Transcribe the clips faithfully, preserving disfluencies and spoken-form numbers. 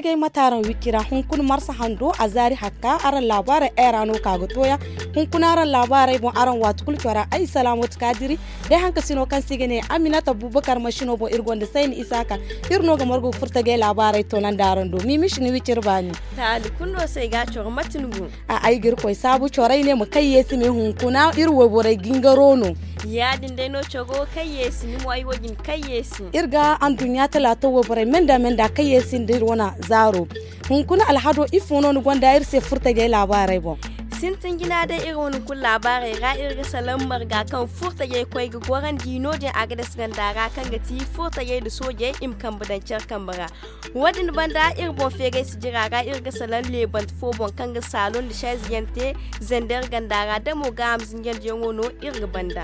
Kay mate araŋ wicci ra hunkuna marsa hando a zaari hakka araŋ laabaarey ay ra no ka ga tooya. Hunkuna araŋ laabaarey boŋ araŋ waati kulu cora ay salaamatu kaadiri day hankasino kaŋ se i ga ne aminata buubakar masino boŋ iri gonda sayni isaaka. Iri no ga margu ga furtajey laabaarey toonandi araŋ do miimis ni wicci iri baani. Taali kulu no se ay ga a coro mate ni go? A ay ga iri koy saabu corey ne ma kayye si ne hunkuna iri wayborey gingaro no. Ya- din day no coro kayye si ni mo ay wo- din kayye si. Iri ga anduɲɲa talaata wayborey menda menda kayye si nda iri wane zaaro. Hunkuna alhado ifo no ni gonda iri se furtajey laabaarey boŋ? Sintin jina day iri wane kulu laabaarey ra iri ga salaŋ marga kaŋ furtajey koy ga gorandi no- din agades ganda ra kaŋ ga ti furtajey nda soojey i ma kambe daŋ care kambe ra. Wo- din banda iri boŋ feegay sijira ra iri ga salaŋ leebante fo boŋ kaŋ ga saalo nda saayize yaŋ te zender ganda ra damo gaaham zinjandiyaŋo no iri ga banda.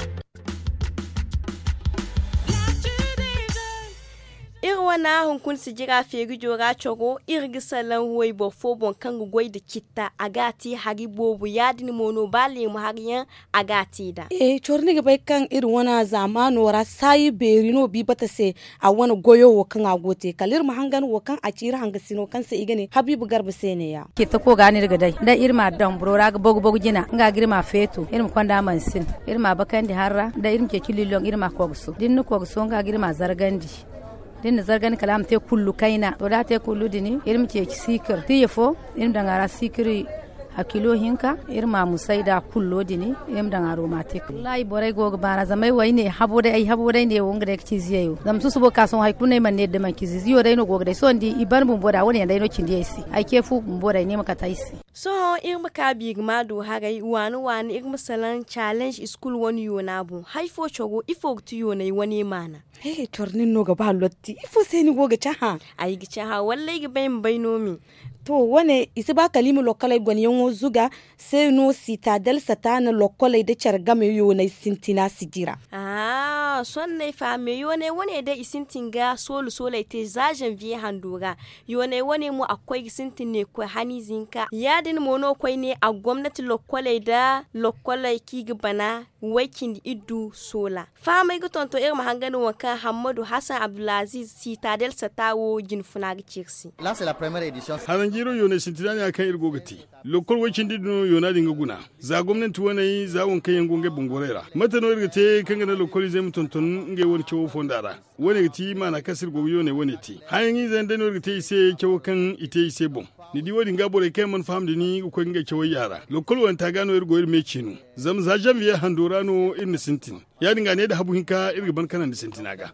Iri wane hunkuna sijira feerijo ra coro iri ga salaŋ wayboro fo boŋ kaŋ ga goy nda citta a ga a te hari boobo ya- din mo no ba leemu hari yaŋ a ga a te nd'a. Coro ni ga bay kaŋ iri wane zaamaano ra saayi beeri no biibata se. A wane goyo wo kaŋ a go ga te kala iri ma hangan wo kaŋ a ci iri hangasino kaŋ se i ga ne habiiba garba se neeya. Cittako ga no iri ga day da iri ma a daŋ boro ra ga bogu bogu jina nga ga iri ma a feeto iri ma konda mansin. Iri ma a bakandi har ra da iri ma ceeci lilloŋ iri ma a koogaso da iri na koogaso nga ga iri ma a zargandi. Da iri na zargandi kala a ma te kullu kayna to da a te kullu din iri ma ceeci siikir tiya fo iri ma daŋ a ra siikir. Hakilo hinka iri ma a musay nd'a kullo din iri ma daŋ a roma te kulu wallaahi borey go ga baana zama ay wo ay ne habo day ay habo day ne wo nga day ga ci ziyey wo zama susubo ga ka sohõ hari kulu no ay mana ne da manci ziyo day no go ga day sohõ ni di i ban bumbo da wane yaŋ day no cindi ay se. Ay ce fu bumbo day ne ma kate ay se. Sohõ iri ma ka biiri ma du haray waani waani iri ma salaŋ challenge school wane yoona boŋ hari fo coro ifo ga ti yoonay wane maana? Coro nin no ga ba lotti ifo se ni go ga cahã? Ay ga cahã wallay ga bay ma bay no me. To wane i si ba kala i ma lokkoley gone yaŋo zuga se no sitadel sata na lokkoley nda care game yooney sintina sijira. Ahaa sohõ ay faham me yooney wane day i sintin ga soolu sooley te za zanviye hando ra. Yooney wane mo a ga koy ga sintin ne ga koy haniize hinka ya- din mo no koyne a ga gomnati lokkoley nda lokkoley kaŋ i ga bana way cindi iddu soola. Fahamey ga tonton iri ma hangan waŋ kaŋ hammadu hasan abdulaziz sitadel sata wo jinfuna ga ci iri se. Haranjiiro yooney sintina ne ya kaŋ iri go ga te. Lokkol way cindi din no yoona din ga guna za gomnanti waney za waŋ kaŋ yaŋ go ngey bangorey ra mate no iri ga te kaŋ ga naŋ lokkol izey ma tonton ngey wane cawo fonda ra. Wane ga ti maana kaŋ se iri go ga yooney wane te hayaŋ izey yaŋ day no iri ga te i se cawo kaŋ i te i se boŋ. Ni di wo- din ga borey kaŋ yaŋ mana faham da ni ga koy ngey cawey yaara lokkol wanta ga no iri go iri me ceeno. Zama za zanviye hando ra no iri na sintin. Ya- din ga ne da habu hinka iri ga ban kanandi sintina ga.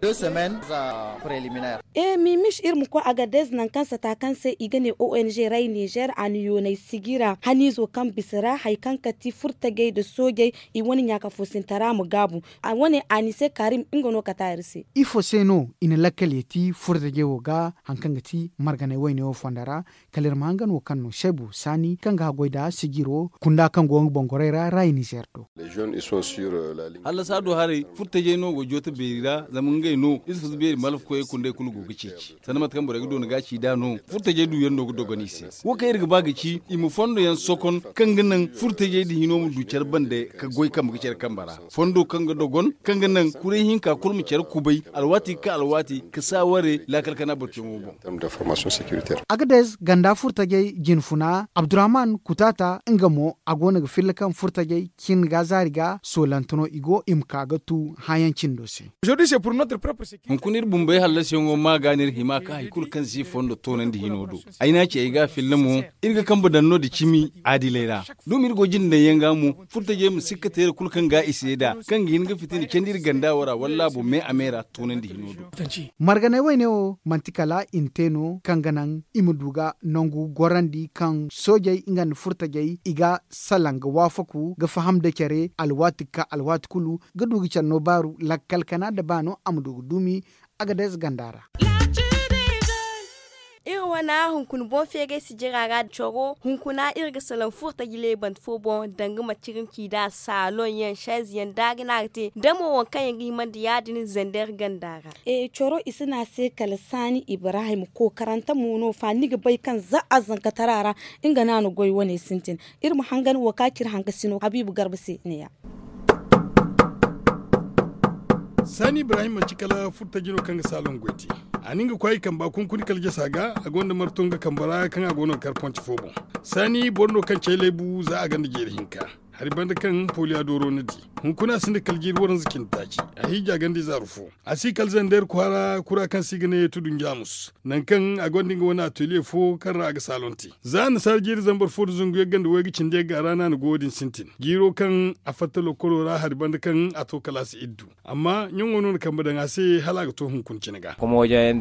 E mimis iri ma koy agadez nangu kaŋ sata kaŋ se i ga ne ong ray nizer a na yoonay sijira haniizo kaŋ bisa ra hari kaŋ kati furtajey nda soojey. I wane ɲaaka foosintara ma gaabu. A wane anise karim nga no kata iri se. Ifo se no i na lakkal yeeti furtajey wo ga hari kaŋ ga ti marganay wayne wo fonda ra? Kala iri ma hangan wo kaŋ no seebu saani kaŋ ga haggoy nda sijiro kunda kaŋ go nga bangorey ra ra i nizer do. Hallasa do haray furtajey no go jooto beeri ra zama ngey no iri si fasu beeri malfa koyey kunday kulu go ga ceeci sanda mate kaŋ borey ga doona ga ci nd'a no. Furtajey duyaŋ no ga dogon i se. Wo kaŋ iri ga ba ga ci i ma fondo yaŋ sokon kaŋ ga naŋ furtajey din hino ma du care bande ka goy kambe ga care kambe ra. Fondo kaŋ ga dogon kaŋ ga naŋ kuray hinka kulu ma care kubay alwaati ga ka alwaati ka saaware laakal kana batuyaŋo boŋ. Agadez ganda furtajey jinfuna abdurrahman kutaata nga mo a go no ga filla kaŋ furtajey cin ga zaari ga soolante no i go i ma ka ga tu hããyaŋ cindo se. Hunkuna iri bumbey hallasiyaŋo ma ga no iri hima ka hari kulu kaŋ si fondo toonandi hino do. Ay n'a ci ay ga a filla mo iri ga kambe daŋ no da cimi aadiley ra. Duma iri go jinde daŋ yaŋ ga mo furtajey ma sikka teera kulu kaŋ ga i seeda kaŋ ga hin ga fitina candi iri ganda wo ra walla a boŋ me a me ra toonandi hino do. Marganay wayne wo manti kala i na te no kaŋ ga naŋ i ma du ga nangu gorandi kaŋ soojey nga nda furtajey i ga salaŋ ga waafaku ga faham nda care alwaati ga ka alwaati kulu ga du ga care no baaru lakkal kana nda baano a ma du ga duumi. Agadez ganda ra. Iri wane hunkuna boŋ feeray sijira ra coro hunkuna iri ga salaŋ furtaji leebante fo boŋ danga macirincida saalon yaŋ saayize yaŋ da a ga ne a ga te da mo waŋ kaŋ yaŋ ga hima nda ya- din zander ganda ra. Coro i si ne a se kala saani ibrahim kookarante mo no fa ni ga bay kaŋ za a zankatara ra nga no a na goy wane sintin. Iri ma hangan wo ka cire hankasino habiibu garba se ne- ya. Saani ibrahim manti kala furtaji no kaŋ ga saalon goy te. A na nga kwaay kamba kunkuni kala jasa ga a gonda marto nga kamba ra kaŋ a go no ga kar ponti fo boŋ. Saani boro no kaŋ cay laybu za a gonda jeeri hinka. Hari banda kaŋ poliya dooro ni di. Hunkuna sinda kala jiiri waranza cindi taaci. A hiija ganda ize aru fo. A si kala zandeer kwaara kura kaŋ se i ga ne tudu njaamus. Nangu kaŋ a gonda nga wane ateliye fo kaŋ ra a ga saalon te. Za annasaara jiiri zambar fo nda zangu yagga nda wayga cindi yagga ra no a na go wo- din sintin jiiro kaŋ a fatta lokolo ra hari banda kaŋ a to kalaasi iddu. Amma ɲaŋo no na kambe daŋ a se hala a ga to hunkuna cine ga.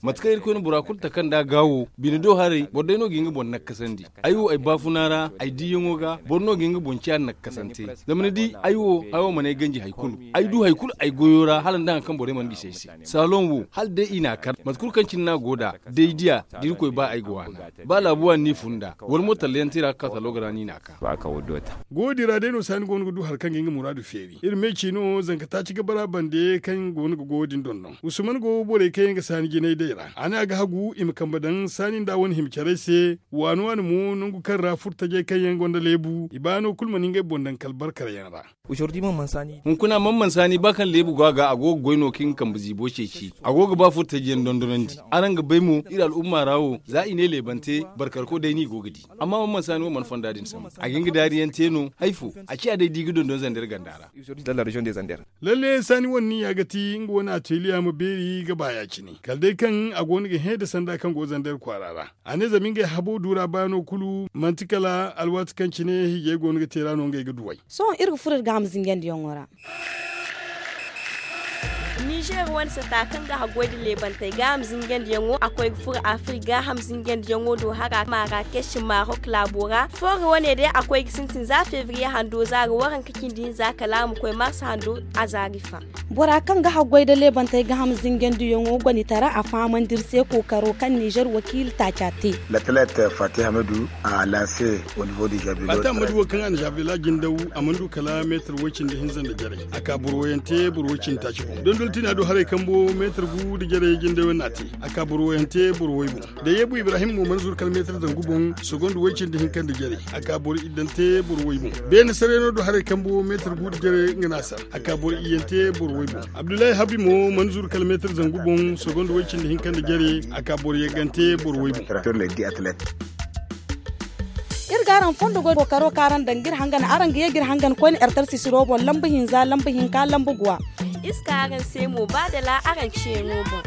Mate kaŋ irkoy na bora kulu taka nd'a gaawo bine do haray boro day no ga hin ga boŋ nakkasandi. Ay wo ay baafuna ra ay diiyaŋo ga boro no ga hin ga boŋ ciya nakkasante. Zama ni di ay wo haya wo mana ay ganji hari kulu. Ay du hari kulu ay goyo ra hala nda hari kaŋ borey mana bisa ay se. Saalon wo hala day i n'a kar mate kulu kaŋ cine no a go nd'a. Day diya da irkoy ba ay ga waana. Ba laabu waani n'i fun nd'a wala mo talla yaŋ te ra ga ka salo ga ra no i n'a ka. Go wo- din ra day no saani go no ga du hari kaŋ ga nga muraadu feeri iri me ci no zanka taaci ga bara bande kaŋ go no ga go wo- din dondon usman go borey kaŋ yaŋ ga saani jinay day ra a ne a ga hagu i ma kambe daŋ saani nda wane hima carey se. Waani waani mo nangu kaŋ ra furtajey kaŋ yaŋ gonda leebu i baano kulu mana ngey boŋ daŋ kala barkar yaŋ ra. Hunkuna man man saani ba kaŋ leebu go a ga a go ga goy no kaŋ ga kambe ziibo ceeci. A go ga ba furtaji yaŋ dondonandi. Araŋ ga bay mo iri al'umma ra wo za i ne leebante barkarko day no i go ga di. Amma man man saani wo mana fonda din sambu a ga hin ga daari yaŋ te no hay fo. A ciya day da i ga dondon zander ganda ra. Lalle saani wane niya ga ti nga wane ateliya ma beeri ga ba ya- cine kala day kaŋ a go no ga hẽ da sanda kaŋ go zander kwaara ra. A ne zama ngey habo duura baano kulu manti kala alwaati kaŋ cine hiijay go no ga te ra no ngey ga duw'ey. Sohõ iri ga furo iri gaaham zingandiyaŋo ra. Nizer wane sata kaŋ ga haggoy nda leebantey gaaham zingandiyaŋo a koy ga furo afrik gaaham zingandiyaŋo do hara marakes marok laabo ra foore wane day a koy ga sintin za febriye hando zaari waranka cindi hinza kala a ma koy mars hando. A zaari fa. Bora kaŋ ga haggoy nda leebantey gaaham zingandiyaŋo gonitara a fahamandi iri se kookaro kaŋ nizer wakiila taaca te. L'athlète fatih hamadu a lanse au niveau du javelot. Fatih hamadu wo kaŋ a na javelot jindaw a mana du kala meetar way cindi hinza nda jarey. A ka boro wayaŋ te boro way cindi taaci boŋ dondol tina do haray kambo meetar gu nda jarey jindaw yaŋ no a te. A ka boro wayaŋ te boro way boŋ. Da yeebu ibrahim mo mana zuru kala meetar zangu boŋ. Sogonda way cindi hinka nda jarey a ka boro iddante boro way boŋ. Beene sarayno do haray kambo meetar gu nda jarey nga no a sar. A ka boro iyyante boro way boŋ. Abdullahi habi mo mana zuru kala meetar zangu boŋ sogonda way cindi hinka nda jare. A ka boro yaggante boro way boŋ. Iri ga araŋ fondo goy kookaro kaŋ araŋ daŋ ga iri hangan araŋ ga ye ga iri hangan koyne ertar sisiro boŋ lamba hinza lamba hinka lamba guwa. Iri si ka araŋ se mo ba dala araŋ ciyaŋo boŋ.